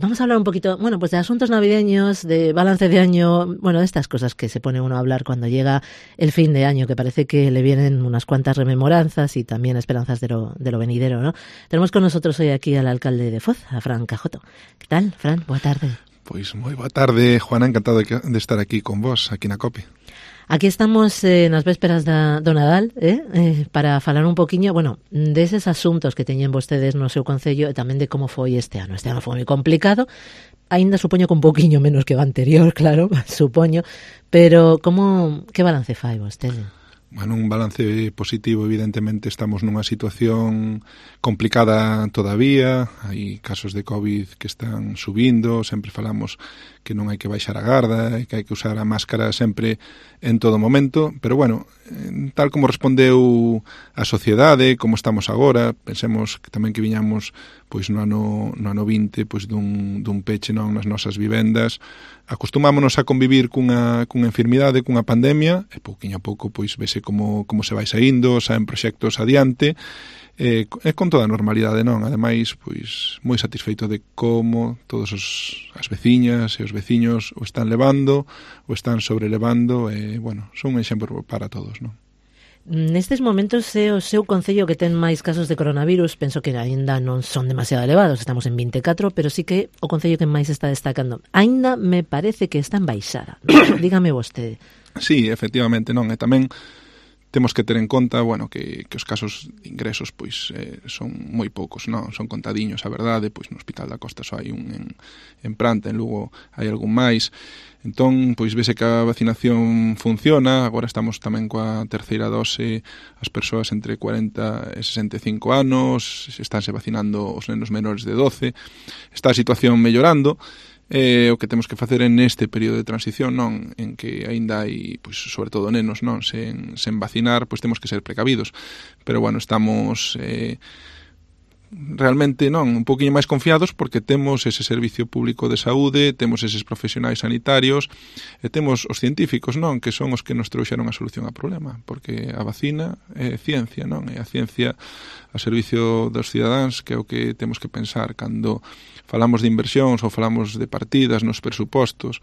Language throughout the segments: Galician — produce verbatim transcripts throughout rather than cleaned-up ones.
Vamos a hablar un poquito, bueno, pues de asuntos navideños, de balance de año, bueno, de estas cosas que se pone uno a hablar cuando llega el fin de año, que parece que le vienen unas cuantas rememoranzas y también esperanzas de lo, de lo venidero, ¿no? Tenemos con nosotros hoy aquí al alcalde de Foz, a Fran Cajoto. ¿Qué tal, Fran? Boa tarde. Pois moi boa tarde, Juana, encantado de, que, de estar aquí con vos, aquí na COPE. Aquí estamos eh, nas vésperas da, do Nadal, eh, eh, para falar un poquinho, bueno, deses asuntos que teñen vostedes no seu concello e tamén de como foi este ano. Este ano foi moi complicado, aínda supoño que un poquinho menos que o anterior, claro, supoño, pero como, que balance fai vostede? Bueno, un balance positivo, evidentemente estamos nunha situación complicada todavía, hai casos de COVID que están subindo, sempre falamos que non hai que baixar a garda e que hai que usar a máscara sempre en todo momento, pero bueno, tal como respondeu a sociedade, como estamos agora, pensemos que tamén que viñamos pois no ano, no ano vinte pois dun, dun peche non nas nosas vivendas, acostumámonos a convivir cunha, cunha enfermidade, cunha pandemia, e pouquiño a pouco pois vese como, como se vai saindo, saen proxectos adiante, e, e con toda a normalidade, non? Ademais, pois moi satisfeito de como todos os, as veciñas e os veciños o están levando, o están sobrelevando, e, bueno, son un exemplo para todos, non? Nestes momentos é o seu concello que ten máis casos de coronavirus, penso que aínda non son demasiado elevados, estamos en vinte e catro, pero sí que o concello que máis está destacando. Aínda me parece que está en baixada, ¿no? Dígame vostede. Sí, efectivamente, non, e tamén temos que ter en conta, bueno, que, que os casos de ingresos pois eh, son moi poucos, non? Son contadiños, a verdade, pois no Hospital da Costa só hai un en, en Pranta, en Lugo hai algún máis. Entón, pois vese que a vacinación funciona, agora estamos tamén coa terceira dose, as persoas entre cuarenta e sesenta e cinco anos, estánse vacinando os nenos menores de doce, está a situación mellorando. Eh, o que temos que facer en este período de transición, non, en que aínda hai, pois, sobre todo nenos, non, sen, sen vacinar, pois temos que ser precavidos. Pero, bueno, estamos eh, realmente, non, un poquinho máis confiados porque temos ese servicio público de saúde, temos eses profesionais sanitarios e temos os científicos, non, que son os que nos trouxeron a solución ao problema, porque a vacina é ciencia, non, é a ciencia a servicio dos cidadáns, que é o que temos que pensar cando falamos de inversións ou falamos de partidas nos presupostos,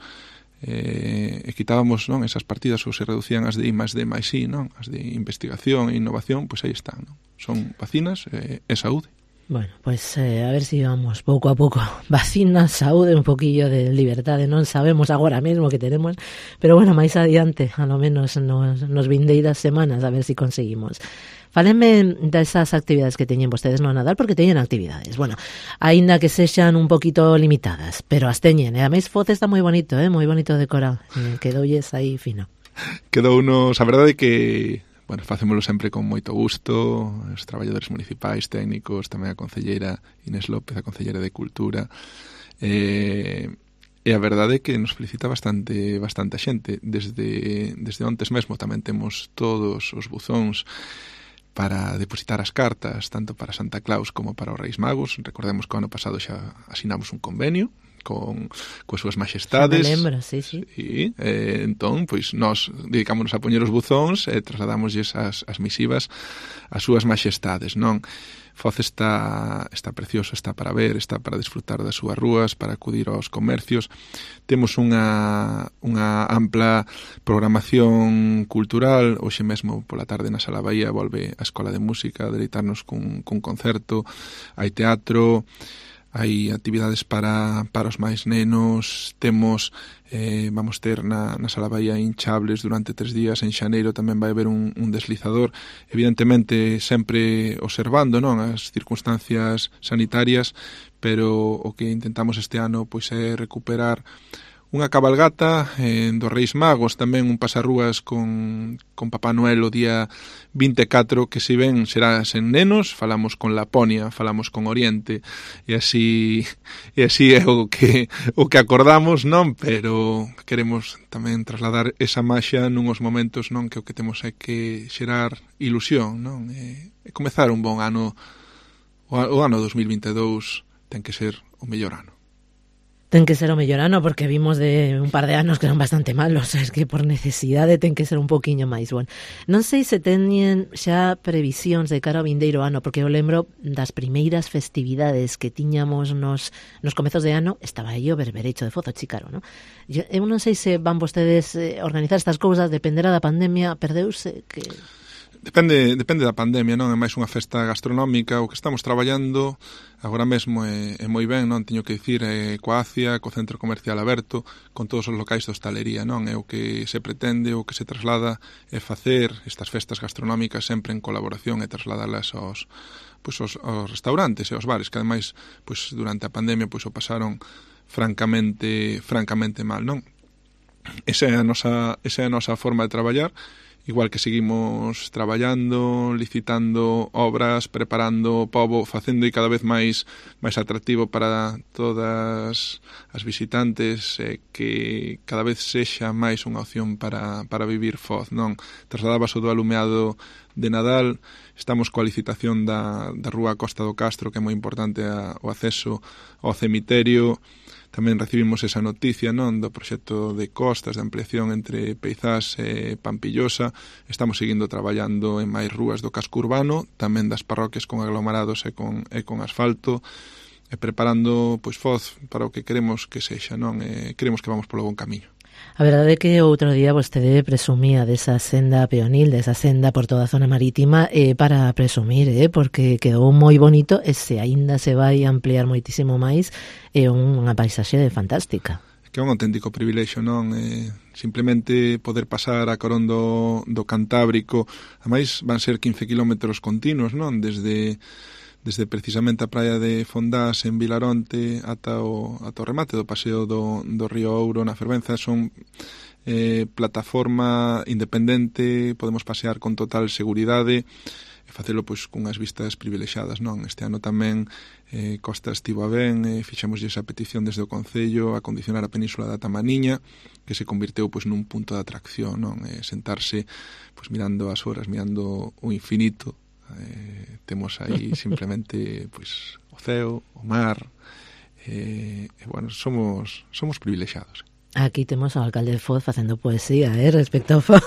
eh, e quitábamos, non, esas partidas ou se reducían as de I máis D máis I, non, as de investigación e innovación, pois aí están, non? Son vacinas e, e saúde. Bueno, pues eh, a ver si vamos pouco a pouco. Vacinas, saúde, un poquillo de liberdade, non sabemos agora mesmo que tenemos, pero bueno, máis adiante, a lo menos nos, nos vindeiras semanas, a ver si conseguimos. Fálenme desas actividades que teñen vostedes no Nadal, porque teñen actividades, bueno, aínda que sexan un poquito limitadas, pero as teñen, e a máis Foz está moi bonito, eh, moi bonito decorado, eh, quedoulles aí fino. Quedou unos, a verdade que, bueno, facémolo sempre con moito gusto, os traballadores municipais, técnicos, tamén a concelleira Inés López, a concelleira de Cultura, e... E a verdade é que nos felicita bastante bastante a xente. Desde, desde ontes mesmo tamén temos todos os buzóns para depositar as cartas, tanto para Santa Claus como para os Reis Magos. Recordemos que o ano pasado xa asinamos un convenio con coas súas majestades. Me lembro, sí, sí. E, eh, entón, pois, nós dedicámonos a poñer os buzóns e trasladamosles as, as misivas ás súas majestades, non? Foz está, está precioso, está para ver, está para disfrutar das súas rúas, para acudir aos comercios. Temos unha, unha ampla programación cultural. Hoxe mesmo pola tarde na Sala Bahía volve a Escola de Música a deleitarnos cun, cun concerto. Hai teatro, hai actividades para, para os máis nenos, temos, eh, vamos ter na, na Sala Bahía hinchables durante tres días, en xaneiro tamén vai haber un, un deslizador, evidentemente sempre observando, non, as circunstancias sanitarias, pero o que intentamos este ano pois é recuperar unha cabalgata eh, dos Reis Magos, tamén un pasarrúas con, con Papá Noel o día vinte e catro, que se ven será sen nenos, falamos con Laponia, falamos con Oriente, e así e así é o que o que acordamos, non, pero queremos tamén trasladar esa maxia nunhos momentos, non, que o que temos é que xerar ilusión, non, e, e comezar un bon ano. O, o ano dos mil vinte e dous ten que ser o mellor ano. Ten que ser o mellor ano, porque vimos de un par de anos que eran bastante malos, es que por necesidade ten que ser un poquinho máis bon. Non sei se teñen xa previsións de cara ao vindeiro ano, porque eu lembro das primeiras festividades que tiñamos nos, nos comezos de ano, estaba aí o berberecho de Foz, o Chícaro, non? Eu, eu non sei se van vostedes eh, organizar estas cousas, dependerá da pandemia, perdeuse que... Depende, depende da pandemia, non? É máis unha festa gastronómica, o que estamos traballando agora mesmo é, é moi ben, non? Teño que dicir, é coa ACIA, co centro comercial aberto, con todos os locais de hostalería, non? É o que se pretende, o que se traslada é facer estas festas gastronómicas sempre en colaboración e trasladalas aos, pois, aos, aos restaurantes e aos bares, que ademais, pois, durante a pandemia, pois, o pasaron francamente, francamente mal, non? Esa é a nosa, esa é a nosa forma de traballar. Igual que seguimos traballando, licitando obras, preparando o pobo, facendo e cada vez máis máis atractivo para todas as visitantes, eh, que cada vez sexa máis unha opción para, para vivir Foz, non? Trasladabas o do alumeado de Nadal, estamos coa licitación da, da rúa Costa do Castro, que é moi importante a, o acceso ao cemiterio. Tamén recibimos esa noticia, non, do proxecto de costas de ampliación entre Peizás e Pampillosa. Estamos seguindo traballando en máis rúas do casco urbano, tamén das parroquias con aglomerados e con, e con asfalto, e preparando, pois, Foz para o que queremos que sexa, non? E queremos que vamos polo bon camiño. A verdade é que outro día vostede presumía desa senda peonil, desa senda por toda a zona marítima, eh, para presumir, eh, porque quedou moi bonito e se aínda se vai ampliar moitísimo máis, é unha paisaxe fantástica. Que é un auténtico privilexio, non? Eh, simplemente poder pasar a Corón do, do Cantábrico, ademais van ser quince kilómetros continuos, non? Desde... desde precisamente a praia de Fondás en Vilaronte ata o, ata o remate do paseo do, do Río Ouro na Fervenza. Son eh, plataforma independente, podemos pasear con total seguridade e facelo pois cunhas vistas privilexadas, non? Este ano tamén eh, Costa estivo a ben, eh, fixamos esa petición desde o Concello a condicionar a Península da Tamaniña, que se convirteu pois nun punto de atracción, non? Eh, sentarse pois mirando as horas, mirando o infinito. Eh, temos aí simplemente pois o ceo, o mar, eh, e bueno, somos somos privilexiados. Aquí temos ao alcalde de Foz facendo poesía, eh, respecto ao Foz.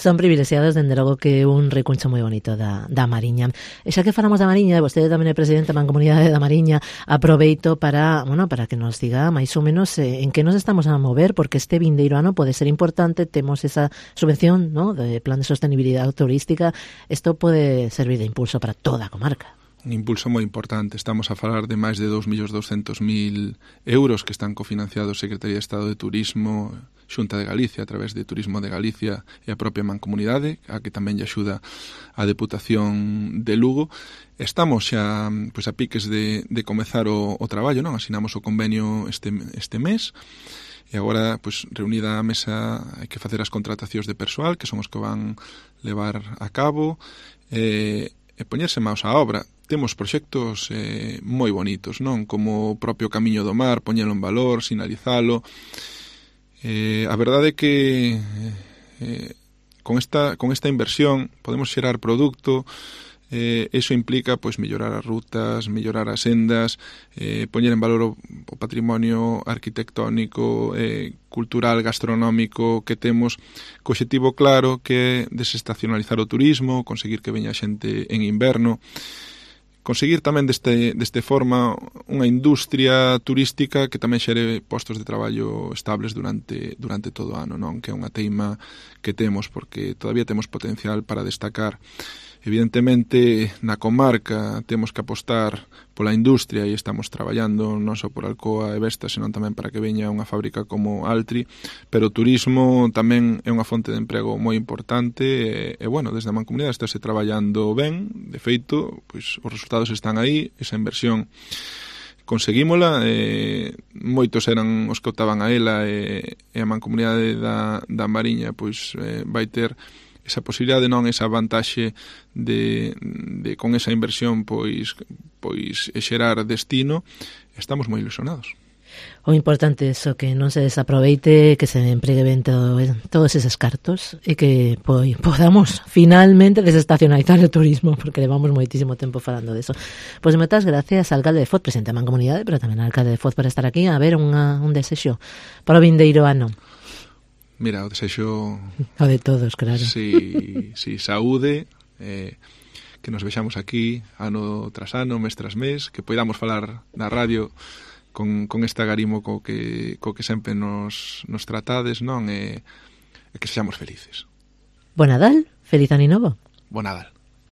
Son privilexiados, dende logo que un recuncho moi bonito da, da Mariña. E xa que falamos da Mariña, vostede tamén é presidente da Mancomunidade da Mariña, aproveito para, bueno, para que nos diga máis ou menos eh, en que nos estamos a mover, porque este vindeiro ano pode ser importante, temos esa subvención, ¿no?, de plan de sostenibilidade turística, isto pode servir de impulso para toda a comarca. Un impulso moi importante. Estamos a falar de máis de dous millóns douscentos mil euros que están cofinanciados Secretaría de Estado de Turismo, Xunta de Galicia, a través de Turismo de Galicia e a propia Mancomunidade, a que tamén lle axuda a Deputación de Lugo. Estamos xa pois, a piques de, de comezar o, o traballo, non? Asinamos o convenio este, este mes, e agora, pois, reunida a mesa, hai que facer as contratacións de persoal, que son os que van levar a cabo, e, e poñerse máis á obra. Temos proxectos eh, moi bonitos, non? Como o propio Camiño do Mar, poñelo en valor, sinalizalo. Eh, a verdade é que eh, con esta con esta inversión podemos xerar produto. Eh, eso implica pois mellorar as rutas, mellorar as sendas, eh, poñer en valor o, o patrimonio arquitectónico, eh, cultural, gastronómico que temos, co obxectivo claro que é desestacionalizar o turismo, conseguir que veña xente en inverno, conseguir tamén deste, deste forma unha industria turística que tamén xere postos de traballo estables durante, durante todo o ano, non? Que é unha teima que temos, porque todavía temos potencial para destacar. Evidentemente, na comarca temos que apostar pola industria e estamos traballando non só por Alcoa e Vestas, senón tamén para que veña unha fábrica como Altri, pero o turismo tamén é unha fonte de emprego moi importante e, e bueno, desde a Mancomunidade estáse traballando ben, de feito, pois os resultados están aí, esa inversión conseguímola, e moitos eran os que optaban a ela e, e a Mancomunidade da, da Mariña pois eh, vai ter esa posibilidade, non, esa vantaxe de, de con esa inversión pois pois xerar destino. Estamos moi ilusionados. O importante é iso, que non se desaproveite, que se empregue ben todo, todos eses cartos e que pois, podamos finalmente desestacionalizar o turismo, porque levamos moitísimo tempo falando deso. Pois moitas gracias, alcalde de Foz, presente a Mancomunidade, pero tamén al alcalde de Foz por estar aquí. A ver, unha, un desexo para o vindeiro ano. Mira, o desexo... O de todos, claro. Si, si saúde, eh, que nos vexamos aquí ano tras ano, mes tras mes, que poidamos falar na radio con, con este agarimo co que, co que sempre nos, nos tratades, non? E, e que sexamos felices. Bo Nadal, feliz ano novo. Bo Nadal.